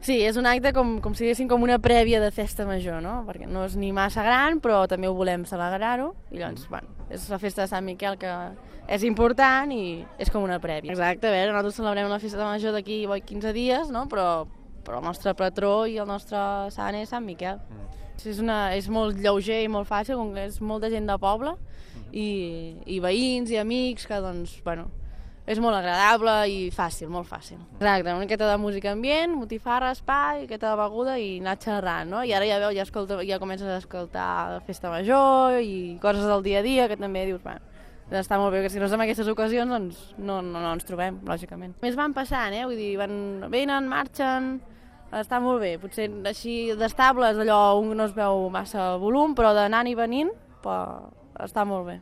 Sí, és un acte com si diguéssim com una prèvia de festa major, no? Perquè no és ni massa gran, però també ho volem celebrar-ho. I llavors, bueno, és la festa de Sant Miquel que és important i és com una prèvia. Exacte, a veure, nosaltres celebrem la festa major d'aquí 15 dies, no? Però el nostre patró i el nostre sant és Sant Miquel. És molt lleuger i molt fàcil, com que és molta gent de poble i veïns i amics que, doncs, bueno, és molt agradable i fàcil, molt fàcil. Exacte, una miqueta de música ambient, botifarra, espai, una miqueta de beguda i anar xerrant, no? I ara ja veus, ja comences a escoltar la festa major i coses del dia a dia que també dius, bueno, està molt bé, que si no és en aquestes ocasions doncs no ens trobem, lògicament. Més van passant, vull dir, venen, marxen, està molt bé. Potser així d'estables allò un no es veu massa volum, però d'anar i venint està molt bé.